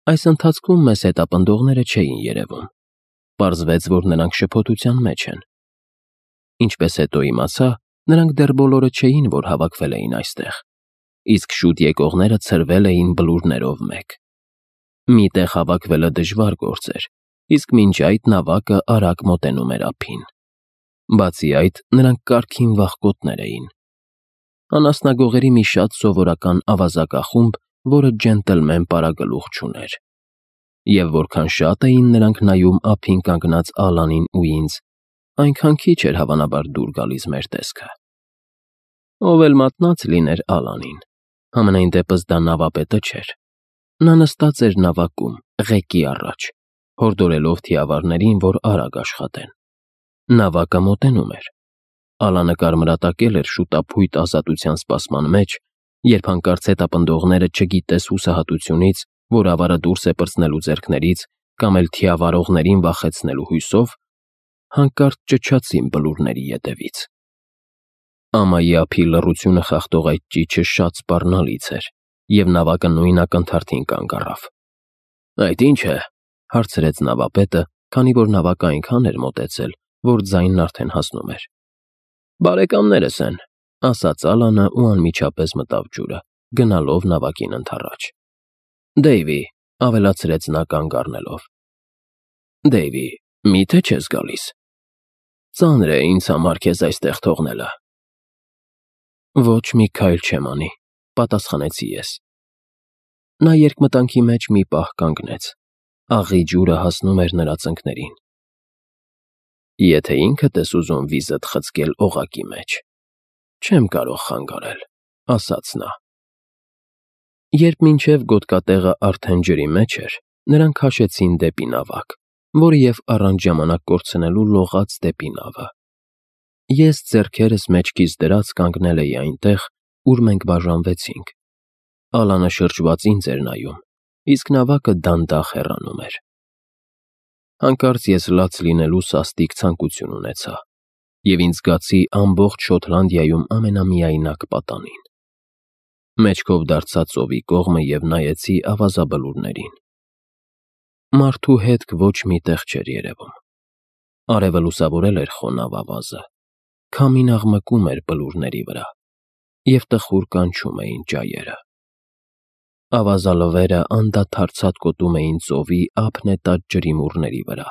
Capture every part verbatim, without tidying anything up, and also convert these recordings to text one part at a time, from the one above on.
Այս ընթացքում մեզ հետապնդողները չէին երևում, պարզվեց, որ նրանք շփոթության մեջ են։ Ինչպես հետո իմացա, նրանք դեռ բոլորը չէին, որ հավաքվել էին այստեղ, իսկ շուտ եկողները ցրվել էին բլուրներով մեկ։ Մի տեղ հավաքվելը դժվար գործ էր, իսկ մինչ այդ նավակը արագ մոտենում էր ափին։ Բացի այդ, նրանք կարգին վախկոտներ էին։ Անասնագողերի մի շատ սովորական ավազակախումբ, որը ջենտլմեն պարագլուխ չուներ։ Եվ որքան շատ էին նրանք նայում ափին կանգնած Ալանին ու ինձ, այնքան քիչ էր հավանաբար դուր գալիս մեր տեսքը։ Ով էլ մատնած լիներ Ալանին, համենայն դեպս դա նավապետը չէր։ Նա նստած էր նավակում, ղեկի առաջ, հորդորելով թիավարներին, որ արագ աշխատեն։ Նավակը մոտենում էր։ Ալանը կարմրատակել էր շուտափույթ ազատության սպասման մեջ, երբ հանկարծ հետապնդողները, չգիտես հուսահատությունից, որ ավարը դուրս է պրծնելու ձեռքներից կամ էլ թիավարողներին վախեցնելու հույսով, հանկարծ ճչացին բլուրների ետևից։ Ամայի ափի լռությունը խախտող այդ ճիչը շատ սպառնալից էր, և նավակը նույն ակնթարթին կանգ առավ։ «Այդ ի՞նչ է», հարցրեց նավապետը, քանի որ նավակը այնքան էր մոտեցել, որ ձայնն արդեն հասնում էր։ «Բարեկամներս են», ասաց Ալանը ու անմիջապես մտավ ջուրը, գնալով նավակին ընդառաջ։ «Դեյվի», ավելացրեց նա կանգ առնելով։ «Դեյվի, մի՞թե չես գալիս։ Ծանր է ինձ համար քեզ այստեղ թողնելը»։ «Ոչ մի քայլ չեմ անի», պատասխանեցի ես։ Նա երկմտանքի մեջ մի պահ կանգնեց։ Աղի ջուրը հասնում էր նրա ծնկներին։ «Եթե ինքդ ես ուզում վիզդ խցկել օղակի մեջ, չեմ կարող խանգարել», ասաց նա։ Երբ մինչև գոտկատեղը արդեն ջրի մեջ էր, նրանք քաշեցին դեպի նավակ, որը և առանց ժամանակ կորցնելու լողաց դեպի նավը։ Ես ձեռքերս մեջքիս դրած կանգնել էի այնտեղ, ուր մենք բաժանվեցինք։ Ալանը շրջված ինձ էր նայում, իսկ նավակը դանդաղ հեռանում էր։ Հանկարծ ես լաց լինելու սաստիկ ցանկություն ունեցա, և ինձ զգացի ամբողջ Շոտլանդիայում ամենամիայնակ պատանին։ Մեջքով դարձա ծովի կողմը և նայեցի ավազաբլուրներին։ Մարդու հետք ոչ մի տեղ չէր երևում։ Արևը լուսավորել էր խոնավ ավազը, քամին աղմկում էր բլուրների վրա, և տխուր կանչում էին ճայերը։ Ավազալվերը անդադար ցատկոտում էին ծովի ափնետած ջրիմուռների վրա։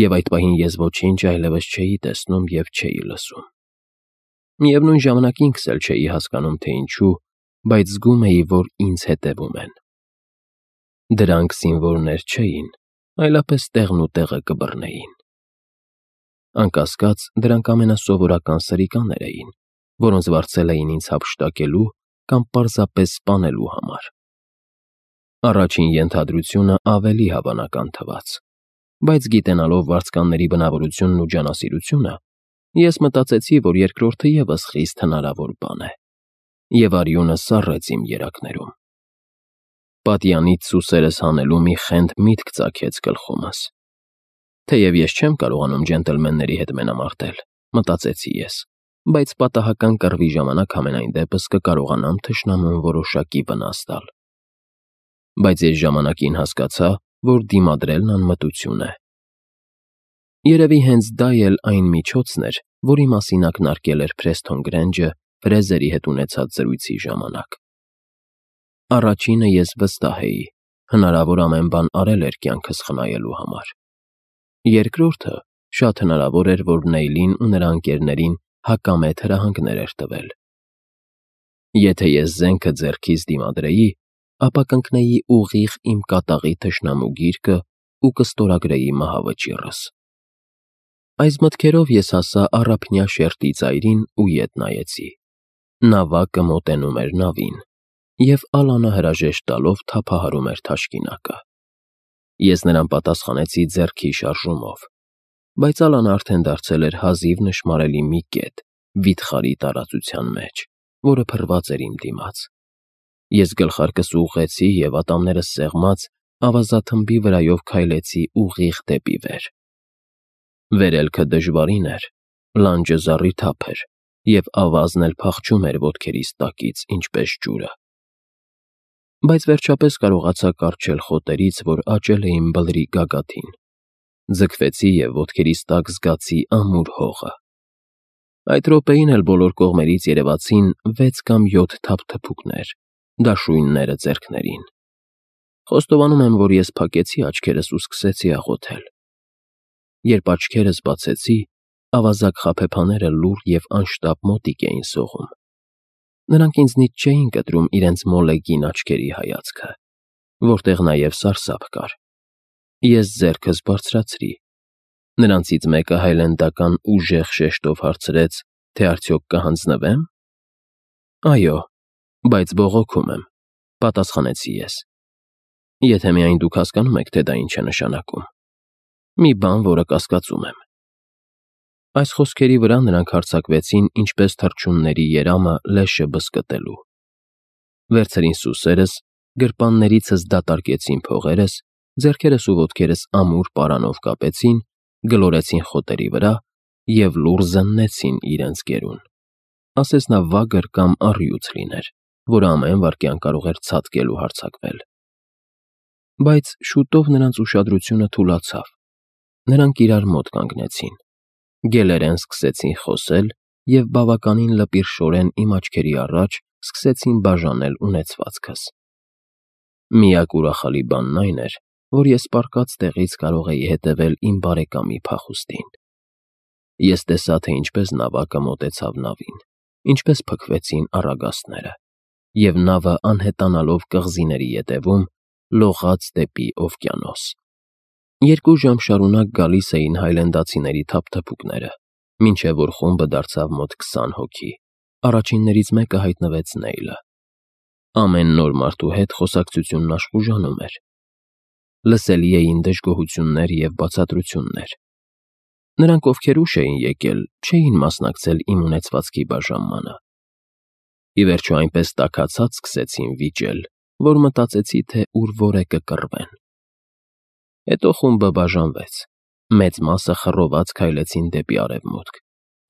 Եվ այդ պահին ես ոչինչ այլևս չէի տեսնում և չէի լսում։ Միևնույն ժամանակ ինքս էլ չէի հասկանում, թե ինչու, բայց զգում էի, որ ինձ հետևում են։ Դրանք զինվորներ չէին, այլապես տեղն ու տեղը կբռնեին։ Անկասկած, դրանք ամենասովորական սրիկաներ էին, որոնց վարձել էին ինձ հափշտակելու կամ պարզապես սպանելու համար։ Առաջին ենթադրությունը ավելի հավանական թվաց, բայց գիտենալով վարձկանների բնավորությունն ու ջանասիրությունը, ես մտածեցի, որ երկրորդը ևս խիստ հնարավոր բան է, և արյունը սառեց իմ երակներում։ Պատյանից սուսերս հանելու մի խենթ միտք ծագեց գլխումս։ Թեև ես չեմ կարողանում ջենտլմենների հետ մենամարտել, մտածեցի ես, բայց պատահական կռվի ժամանակ համենայն դեպս կկարողանամ թշնամուն որոշակի վնաս տալ։ Բայց ես ժամանակին հասկացա, որ դիմադրելն անմտություն է։ Երևի հենց դա էլ այն միջոցն էր, որի մասին ակնարկել էր Փրեսթոն Գրենջը Ֆրեզերի հետ ունեցած զրույցի ժամանակ։ Առաջինը ես վստահ էի, հնարավոր ամեն բան արել էր կյանքս խնայելու համար։ Երկրորդը շատ հնարավոր էր, որ Նեյլին ու նրա ընկերներին հակամետ հրահանգներ էր տվել։ Եթե ես զենքը ձեռքիս դիմադրեի, ապա կընկնեի ուղիղ իմ կատաղի թշնամու գիրկը ու կստորագրեի մահավճիռս։ Այս մտքերով ես հասա առափնյա շերտի ծայրին ու ետ նայեցի։ Նավակը մոտենում էր նավին, և Ալանը հրաժեշտ տալով թափահարում էր թաշկինակը։ Ես նրան պատասխանեցի ձեռքի շարժումով, բայց Ալանը արդեն դարձել էր հազիվ նշմարելի մի կետ վիթխարի տարածության մեջ, որը փռված էր իմ դիմաց։ Ես գլխարկս ուղղեցի և ատամներս սեղմած ավազաթմբի վրայով քայլեցի ուղիղ դեպի վեր։ Վերելքը դժվարին էր, լանջը զառիթափ էր, և ավազն էլ փախչում էր ոտքերիս տակից, ինչպես ջուրը։ բայց վերջապես կարողացա կառչել խոտերից, որ աճել էին բլրի գագաթին։ Ձգվեցի և ոտքերիս տակ զգացի ամուր հողը։ Այդ րոպեին էլ բոլոր կողմերից երևացին վեց կամ յոթ թափթփուկներ, դաշույնները ձեռքներին։ Խոստովանում եմ, որ ես փակեցի աչքերս ու սկսեցի աղոթել։ Երբ աչքերս բացեցի, ավազակ խաբեբաները լուռ և անշտապ մոտիկ էին սողում։ Նրանք ինձնից չէին կտրում իրենց մոլեգին աչքերի հայացքը, որտեղ նաև սարսափ կար։ Ես ձեռքս բարձրացրի։ Նրանցից մեկը հայլենդական ուժեղ շեշտով հարցրեց, թե արդյոք կհանձնվե՞մ։ Այո, բայց բողոքում եմ, պատասխանեցի ես։ Եթե միայն դուք հասկանում եք, թե դա ինչ է նշանակում։ Մի բան, որը կասկածում եմ։ Այս խոսքերի վրա նրանք հարձակվեցին ինչպես թռչունների երամը լեշը բզկտելու։ Վերցրին սուսերս, գրպաններիցս դատարկեցին փողերս, ձեռքերս ու ոտքերս ամուր պարանով կապեցին, գլորեցին խոտերի վրա և լուռ զննեցին իրենց գերուն, ասես նա վագր կամ առյուծ լիներ, որը ամեն վայրկյան կարող էր ցատկել ու հարձակվել։ Բայց շուտով նրանց ուշադրությունը թուլացավ։ Նրանք իրար մոտ կանգնեցին, գելերեն սկսեցին խոսել և բավականին լպիրշորեն իմ աչքերի առաջ սկսեցին բաժանել ունեցվածքս։ Միակ ուրախալի բանն այն էր, որ ես պառկած տեղից կարող էի հետևել իմ բարեկամի փախուստին։ Ես տեսա, թե ինչպես նավակը մոտեցավ նավին, ինչպես փքվեցին առագաստները, և նավը անհետանալով կղզիների ետևում լողաց դեպի օվկիանոս։ Երկու ժամ շարունակ գալիս էին հայլենդացիների թափթփուկները, մինչև որ խումբը դարձավ մոտ քսան հոգի։ Առաջիններից մեկը հայտնվեց Նեյլը։ Ամեն նոր մարդու հետ խոսակցությունն աշխուժանում էր։ Լսելի էին դժգոհություններ և բացատրություններ։ Նրանք, ովքեր ուշ էին եկել, չէին մասնակցել իմ ունեցվածքի բաժանմանը։ Ի վերջո այնպես տաքացած սկսեցին վիճել, որ մտածեցի, թե ուր որ է կկռվեն։ Հետո խումբը բաժանվեց։ Մեծ մասը խռոված քայլեցին դեպի արևմուտք,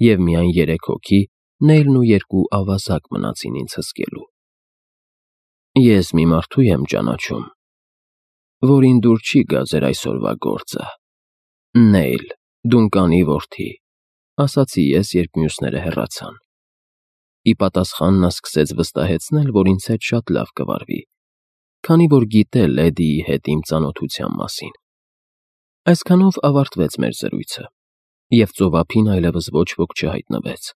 և միայն երեք հոգի, Նեյլն ու երկու ավազակ մնացին ինձ հսկելու։ Ես մի մարդու եմ ճանաչում, որին դուր չի գա ձեր այսօրվա գործը։ Նեյլ, Դունկանի որդի, ասացի ես, երբ մյուսները հեռացան։ Ի պատասխան նա սկսեց վստահեցնել, որ ինձ հետ շատ լավ կվարվի, քանի որ գիտե Լեդիի հետ իմ ծանոթության մասին։ Այսքանով ավարտվեց մեր զրույցը, և ծովափին այլևս ոչ ոք չհայտնվեց։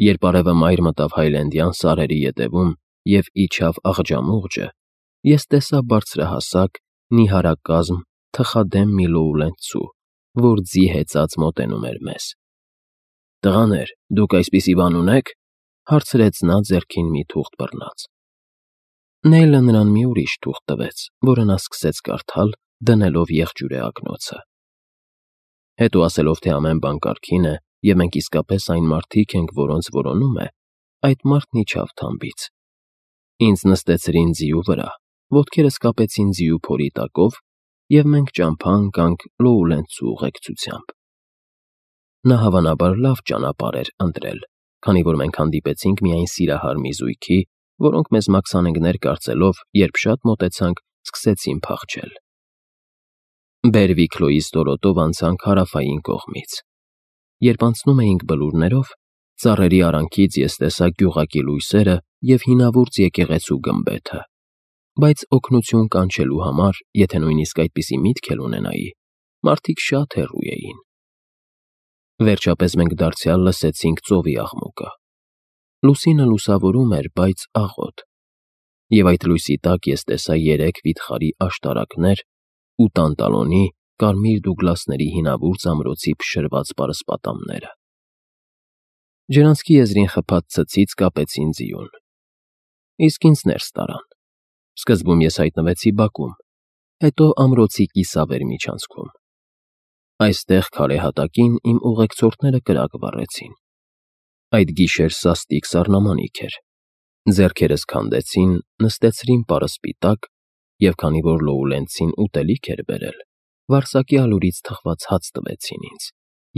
Երբ արևը մայր մտավ Հայլենդյան սարերի ետևում և իջավ աղջամուղջը, ես տեսա բարձրահասակ, նիհարակազմ, թխադեմ մի լոուլենցու, որ ձի հեծած մոտենում էր մեզ։ «Տղաներ, դուք այսպիսի բան ունե՞ք», հարցրեց նա ձեռքին մի թուղթ բռնած։ Նեյլը նրան մի ուրիշ թուղթ տվեց, որը նա սկսեց կարդալ, դնելով եղջյուրե ակնոցը։ Հետո ասելով, թե ամեն բան կարգին է, և մենք իսկապես այն մարդիկ ենք, որոնց որոնում է, այդ մարդն իջավ թամբից։ Ինձ նստեցրին ձիու վրա, ոտքերս կապեցին ձիու փորի տակով, և մենք ճամփա ընկանք Լոուլենցու ուղեկցությամբ։ Նա հավանաբար լավ ճանապարհ էր ընտրել, քանի որ մենք հանդիպեցինք միայն սիրահար մի զույգի, որոնք մեզ մաքսանենգներ կարծելով, երբ շատ մոտեցանք, սկսեցին փախչել։ Բերվիքլոյի ստորոտով անցանք հարավային կողմից։ Երբ անցնում էինք բլուրներով, ծառերի արանքից ես տեսա գյուղակի լույսերը և հինավուրց եկեղեցու գմբեթը, բայց օգնություն կանչելու համար, եթե նույնիսկ այդպիսի միտք էլ ունենայի, մարդիկ շատ հեռու էին։ Վերջապես մենք դարձյալ լսեցինք ծովի աղմուկը։ Լուսինը լուսավորում էր, բայց աղոտ, և այդ լույսի տակ ես տեսա երեք վիթխարի աշտարակներ ու տանտալոնի, կարմիր դուգլասների հինավուրց ամրոցի փշրված պարսպատամները։ Ջրանցքի եզրին խփած ցցից կապեցին ձիուն։ Իսկ ինձ ներս տարան։ Սկզբում ես հայտնվեցի բակում, հետո ամրոցի կիսավեր միջանցքում։ Այստեղ քարե հատակին իմ ուղեկցորդները կրակ վառեցին։ Այդ գիշեր սաստիկ սառնամանիք էր։ Ձեռքերս քանդեցին, նստեցրին պարսպի տակ, և քանի որ Լոուլենցին ուտելիք էր բերել, վարսակի ալուրից թխված հաց տվեցին ինձ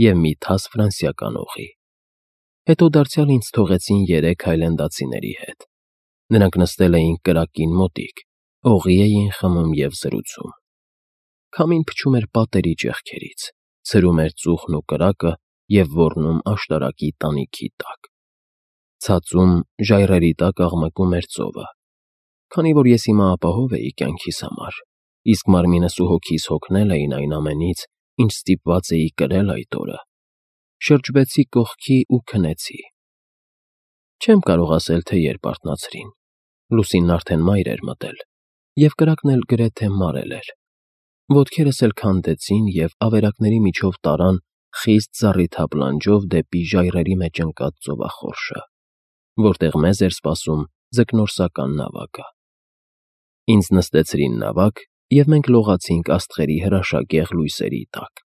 և մի թաս ֆրանսիական օղի։ Հետո դարձյալ ինձ թողեցին երեք հայլենդացիների հետ։ Նրանք նստել էին կրակին մոտիկ, Օղի էին խմում և զրուցում։ Քամին փչում էր պատերի ճեղքերից, ցրում էր ծուխն ու կրակը և ոռնում աշտարակի տանիքի տակ։ Ցածում, ժայռերի տակ աղմկում էր ծովը։ Քանի որ ես հիմա ապահով էի կյանքիս համար, իսկ մարմինս ու հոգիս հոգնել էին այն ամենից, ինչ ստիպված էի կրել այդ օրը, շրջվեցի կողքի ու քնեցի։ Չեմ կարող ասել, թե երբ արթնացրին։ Լուսինն արդեն մայր էր մտել, և կրակն էլ գրեթե մարել էր։ Ոտքերս էլ քանդեցին և ավերակների միջով տարան խիստ զառիթափ լանջով դեպի ժայռերի մեջ ընկած ծովախորշը, որտեղ մեզ էր սպասում ձկնորսական նավակը։ Ինձ նստեցրին նավակ, և մենք լողացինք աստղերի հրաշագեղ լույսերի տակ։